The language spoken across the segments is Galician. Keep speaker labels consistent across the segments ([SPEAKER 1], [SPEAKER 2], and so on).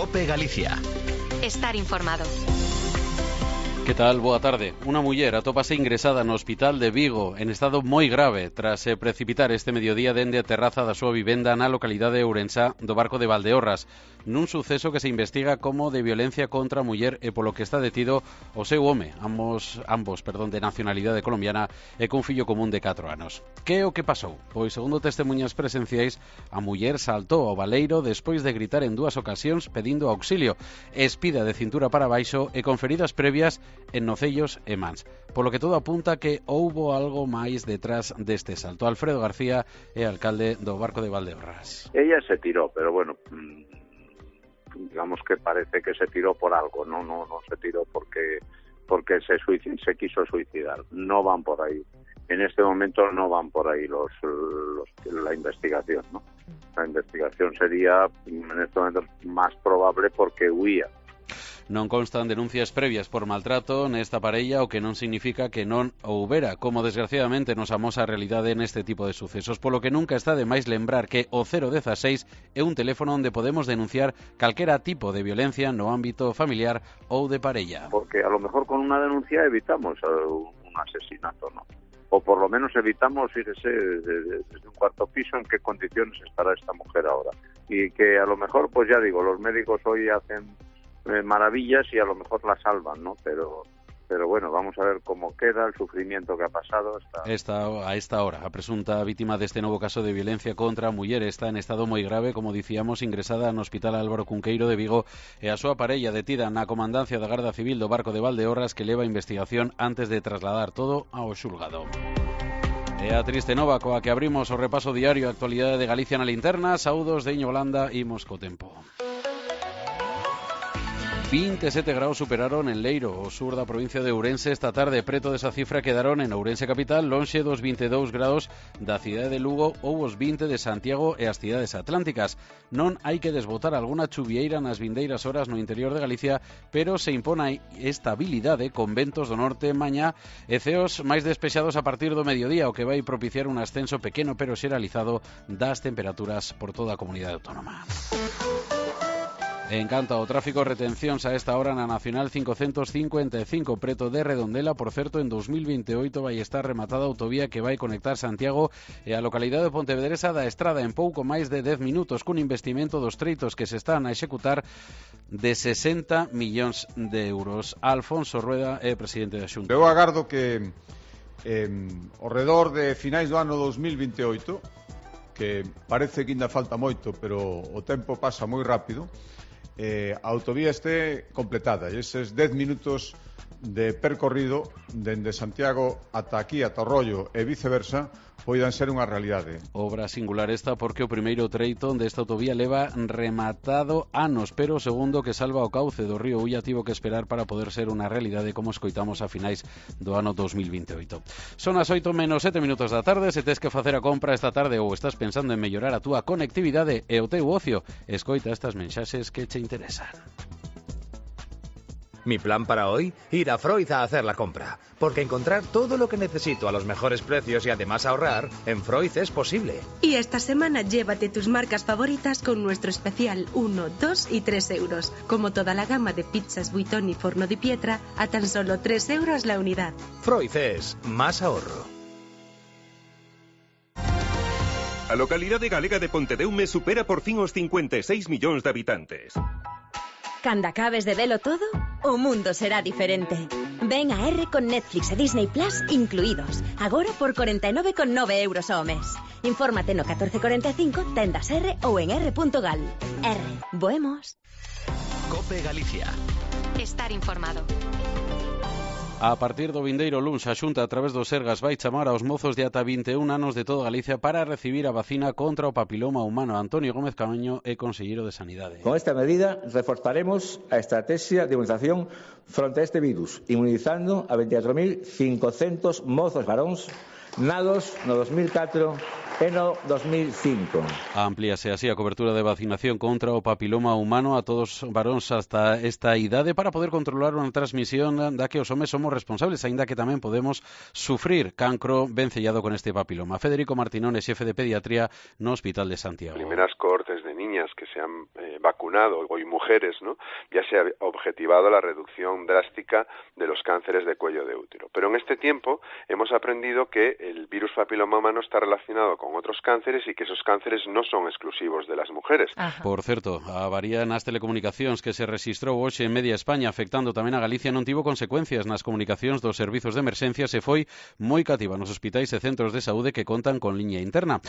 [SPEAKER 1] COPE Galicia.
[SPEAKER 2] Estar informado.
[SPEAKER 3] Que tal? Boa tarde. Unha muller atópase ingresada no hospital de Vigo en estado moi grave tras precipitar este mediodía dende a terraza da súa vivenda na localidade de Ourensá do Barco de Valdeorras, nun suceso que se investiga como de violencia contra a muller e polo que está detido o seu home, ambos de nacionalidade colombiana e cun fillo común de 4 anos. Que é o que pasou? Pois, segundo testemunhas presenciais, a muller saltou ao baleiro despois de gritar en 2 ocasións pedindo auxilio, espida de cintura para baixo e con feridas previas en nocellos e mans. Polo que todo apunta que houbo algo máis detrás deste salto. Alfredo García é alcalde do Barco de Valdeorras.
[SPEAKER 4] Ella se tiró, pero bueno, digamos que parece que se tiró por algo, no se tiró porque se quiso suicidar. No van por ahí. En este momento no van por ahí la investigación, ¿no? La investigación sería en este momento más probable porque huía.
[SPEAKER 3] Non constan denuncias previas por maltrato nesta parella, o que non significa que non houbera, como desgraciadamente nos amosa a realidade neste tipo de sucesos, polo que nunca está de máis lembrar que o 016 é un teléfono onde podemos denunciar calquera tipo de violencia no ámbito familiar ou de parella.
[SPEAKER 4] Porque a lo mejor con una denuncia evitamos un asesinato, ¿no? O por lo menos evitamos, fíjese, desde un cuarto piso en qué condiciones estará esta mujer ahora. Y que a lo mejor, pues ya digo, los médicos hoy hacen maravillas y a lo mejor la salvan, ¿no? Pero bueno, vamos a ver cómo queda el sufrimiento que ha pasado.
[SPEAKER 3] A esta hora, a presunta vítima deste novo caso de violencia contra a muller está en estado moi grave, como dicíamos, ingresada no Hospital Álvaro Cunqueiro de Vigo, e a súa parella detida na comandancia da Garda Civil do Barco de Valdeorras, que leva a investigación antes de trasladar todo ao xulgado. E a triste nova coa que abrimos o repaso diario a actualidade de Galicia na linterna. Saúdos de Iño Blanda, imos co tempo. 27 graus superaron en Leiro, o sur da provincia de Ourense, esta tarde. Preto desa cifra quedaron en Ourense capital, lonxe dos 22 graus da cidade de Lugo ou os 20 de Santiago e as cidades atlánticas. Non hai que desbotar algunha chuvieira nas vindeiras horas no interior de Galicia, pero se impone estabilidade con ventos do norte mañá e ceos máis despexados a partir do mediodía, o que vai propiciar un ascenso pequeno pero xeralizado das temperaturas por toda a comunidade autónoma. En canto ao tráfico, retencións a esta hora na Nacional 555 preto de Redondela. Por certo, en 2028 vai estar rematada a autovía que vai conectar Santiago e a localidade de Pontevedresa da Estrada en pouco máis de 10 minutos, cun investimento dos treitos que se están a executar de 60 millóns de euros. Alfonso Rueda é presidente da Xunta.
[SPEAKER 5] Eu agardo que ao redor de finais do ano 2028, que parece que ainda falta moito, pero o tempo pasa moi rápido, a autovía este completada e eses 10 minutos de percorrido dende Santiago ata aquí, ata Rollo e viceversa, poidan ser unha realidade.
[SPEAKER 3] Obra singular esta porque o primeiro treito desta autovía leva rematado anos, pero o segundo, que salva o cauce do río Ulla, tivo que esperar para poder ser unha realidade, como escoitamos a finais do ano 2028. Son as 8:07 da tarde. Se tes que facer a compra esta tarde ou estás pensando en mellorar a túa conectividade e o teu ocio, escoita estas mensaxes que che interesan.
[SPEAKER 1] Mi plan para hoy, ir a Freud a hacer la compra, porque encontrar todo lo que necesito a los mejores precios y además ahorrar, en Freud es posible.
[SPEAKER 6] Y esta semana llévate tus marcas favoritas con nuestro especial 1, 2 y 3 euros, como toda la gama de pizzas Buitoni y Forno di Pietra a tan solo 3 euros la unidad.
[SPEAKER 1] Freud es más ahorro.
[SPEAKER 7] A localidade galega de Pontedeume supera por fin os 56 millóns de habitantes.
[SPEAKER 8] Cando acabes de velo todo, o mundo será diferente. Ven a R con Netflix e Disney Plus incluídos. Agora por 49,9 euros ao mes. Infórmate no 1445, tendas R ou en r.gal. R. Boemos.
[SPEAKER 1] COPE Galicia.
[SPEAKER 2] Estar informado.
[SPEAKER 3] A partir do vindeiro luns, a Xunta, a través dos Sergas, vai chamar aos mozos de ata 21 anos de toda Galicia para recibir a vacina contra o papiloma humano. Antonio Gómez Camaño é conselleiro de Sanidade.
[SPEAKER 9] Con esta medida reforzaremos a estrategia de inmunización fronte a este virus, inmunizando a 24.500 mozos varóns nados no 2004 e no 2005.
[SPEAKER 3] Amplíase así a cobertura de vacinación contra o papiloma humano a todos os varóns hasta esta idade para poder controlar unha transmisión da que os homes somos responsables, aínda que tamén podemos sufrir cancro vencellado con este papiloma. Federico Martinón é xefe de pediatría no Hospital de Santiago.
[SPEAKER 10] Primeras cohortes de niñas que se han vacunado y mujeres, ¿no? Ya se ha objetivado la reducción drástica de los cánceres de cuello de útero. Pero en este tiempo hemos aprendido que el virus papiloma humano está relacionado con otros cánceres y que esos cánceres no son exclusivos de las mujeres.
[SPEAKER 3] Ajá. Por certo, a avaría nas telecomunicacións que se rexistrou hoxe en media España afectando tamén a Galicia non tivo consecuencias nas comunicacións dos servizos de emerxencia se foi moi cativa nos hospitais e centros de saúde que contan con liña interna.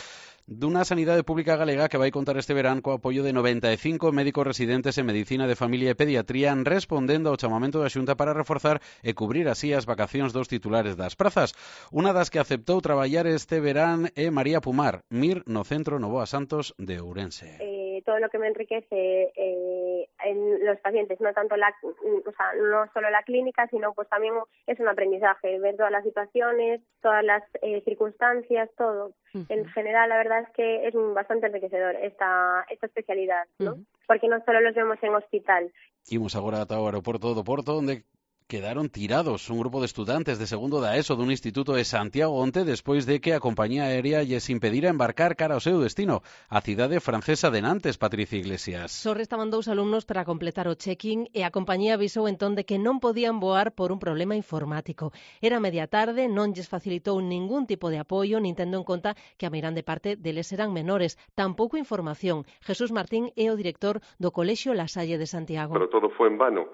[SPEAKER 3] Dunha sanidade pública galega que vai contar este verán co apoio de 95 médicos residentes en Medicina de Familia e Pediatría respondendo ao chamamento da Xunta para reforzar e cubrir así as vacacións dos titulares das prazas. Unha das que aceptou traballar este verán é María Pumar, MIR no Centro Novoa Santos de Ourense.
[SPEAKER 11] Todo lo que me enriquece en los pacientes, no tanto no solo la clínica, sino pues también es un aprendizaje, ver todas las situaciones, todas las circunstancias, todo. En general, la verdad es que es bastante enriquecedor esta especialidad, ¿no? Porque no solo los vemos en hospital.
[SPEAKER 3] Imos agora ata o aeroporto do Porto, onde quedaron tirados un grupo de estudantes de segundo da ESO dun instituto de Santiago onte despois de que a compañía aérea lles impedira embarcar cara ao seu destino, a cidade francesa de Nantes, Patricia Iglesias.
[SPEAKER 12] Só restaban 2 alumnos para completar o check-in e a compañía avisou entón de que non podían voar por un problema informático. Era media tarde, non lles facilitou ningún tipo de apoio, nin tendo en conta que a meirande parte deles eran menores. Tampouco información. Jesús Martín é o director do Colexio La Salle de Santiago.
[SPEAKER 13] Pero todo fue en vano.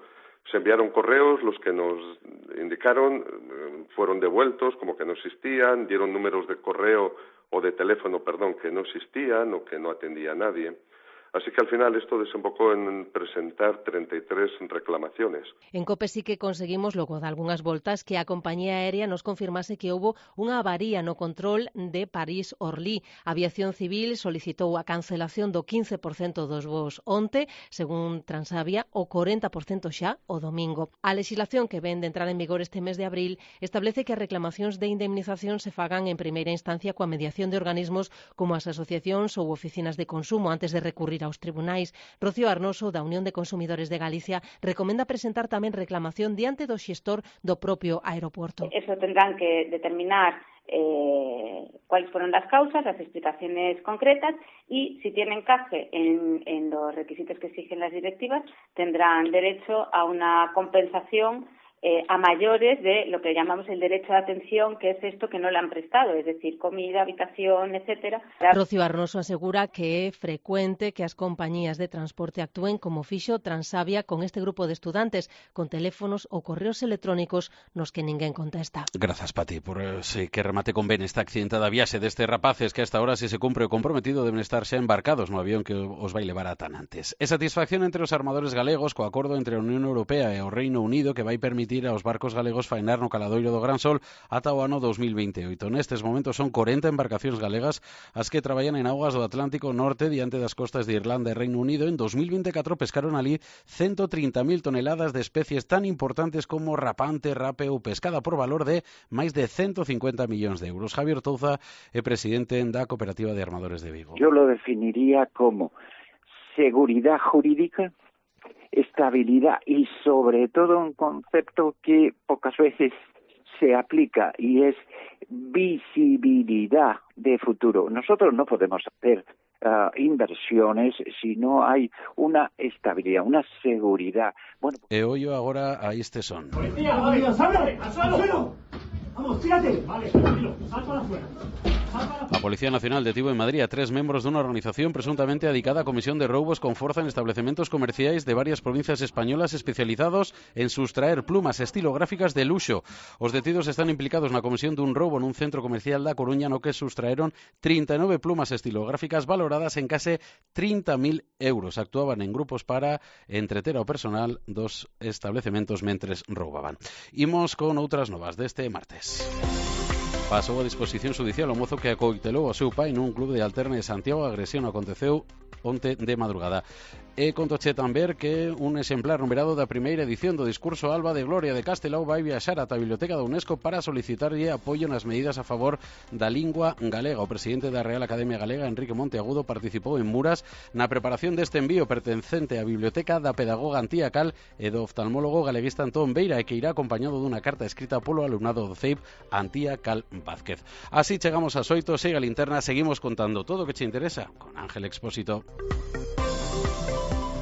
[SPEAKER 13] Se enviaron correos, los que nos indicaron fueron devueltos como que no existían, dieron números de correo o de teléfono, que no existían o que no atendía a nadie. Así que al final esto desembocó en presentar 33 reclamaciones.
[SPEAKER 12] En COPE sí que conseguimos, logo de algunhas voltas, que a compañía aérea nos confirmase que houbo unha avaría no control de París-Orly. A Aviación Civil solicitou a cancelación do 15% dos voos onte, según Transavia, o 40% xa o domingo. A legislación que ven de entrar en vigor este mes de abril establece que as reclamacións de indemnización se fagan en primeira instancia coa mediación de organismos como as asociacións ou oficinas de consumo antes de recurrir aos tribunais. Rocío Arnoso, da Unión de Consumidores de Galicia, recomenda presentar tamén reclamación diante do xestor do propio aeroporto.
[SPEAKER 14] Eso tendrán que determinar cuáles fueron las causas, las explicaciones concretas y si tienen encaje en los requisitos que exigen las directivas, tendrán derecho a una compensación a mayores de lo que llamamos el derecho de atención, que es esto que no le han prestado, es decir, comida, habitación, etcétera.
[SPEAKER 12] Rocío Arnoso asegura que é frecuente que as compañías de transporte actúen como fixo Transavia con este grupo de estudantes, con teléfonos ou correos electrónicos nos que ninguén contesta.
[SPEAKER 3] Grazas, Pati, por que remate con ben esta accidentada viaxe destes rapaces que hasta ahora, se se cumpre o comprometido, deben estar xa embarcados no avión que os vai levar a Tanantes. E satisfacción entre os armadores galegos co acordo entre a Unión Europea e o Reino Unido que vai permitir aos barcos galegos faenar no caladoiro do Gran Sol ata o ano 2028. Nestes momentos son 40 embarcacións galegas as que traballan en augas do Atlántico Norte diante das costas de Irlanda e Reino Unido. En 2024 pescaron ali 130.000 toneladas de especies tan importantes como rapante, rape ou pescada por valor de máis de 150 millóns de euros. Javier Touza é presidente da Cooperativa de Armadores de Vigo.
[SPEAKER 15] Yo lo definiría como seguridad jurídica, estabilidad y sobre todo un concepto que pocas veces se aplica y es visibilidad de futuro. Nosotros no podemos hacer inversiones si no hay una estabilidad, una seguridad. Bueno,
[SPEAKER 3] e ollo agora a este son.
[SPEAKER 16] ¡Policía, policía, salve! ¡Al suelo! ¡Vamos, tírate! Vale, tranquilo, sal para afuera.
[SPEAKER 3] A Policía Nacional detivo en Madrid a 3 membros dunha organización presuntamente adicada a comisión de roubos con forza en estabelecementos comerciais de varias provincias españolas especializados en sustraer plumas estilográficas de luxo. Os detidos están implicados na comisión dun roubo nun centro comercial da Coruña no que sustraeron 39 plumas estilográficas valoradas en case 30.000 euros. Actuaban en grupos para entreter ao personal dos establecementos mentres roubaban. Imos con outras novas deste martes. Pasou a disposición judicial o mozo que acoitelou a seu pai nun club de Alterne de Santiago. A agresión aconteceu onte de madrugada. E contoche tamén que un exemplar numerado da primeira edición do discurso Alba de Gloria de Castelao vai viaxar ata a Biblioteca da UNESCO para solicitarlle apoio nas medidas a favor da lingua galega. O presidente da Real Academia Galega, Enrique Monteagudo, participou en Muras na preparación deste envío pertencente á Biblioteca da pedagoga Antía Cal e do oftalmólogo galeguista Antón Beira, e que irá acompañado dunha carta escrita polo alumnado do CEIP Antía Cal Vázquez. Así chegamos ás 8, siga a linterna, seguimos contando todo o que che interesa con Ángel Expósito.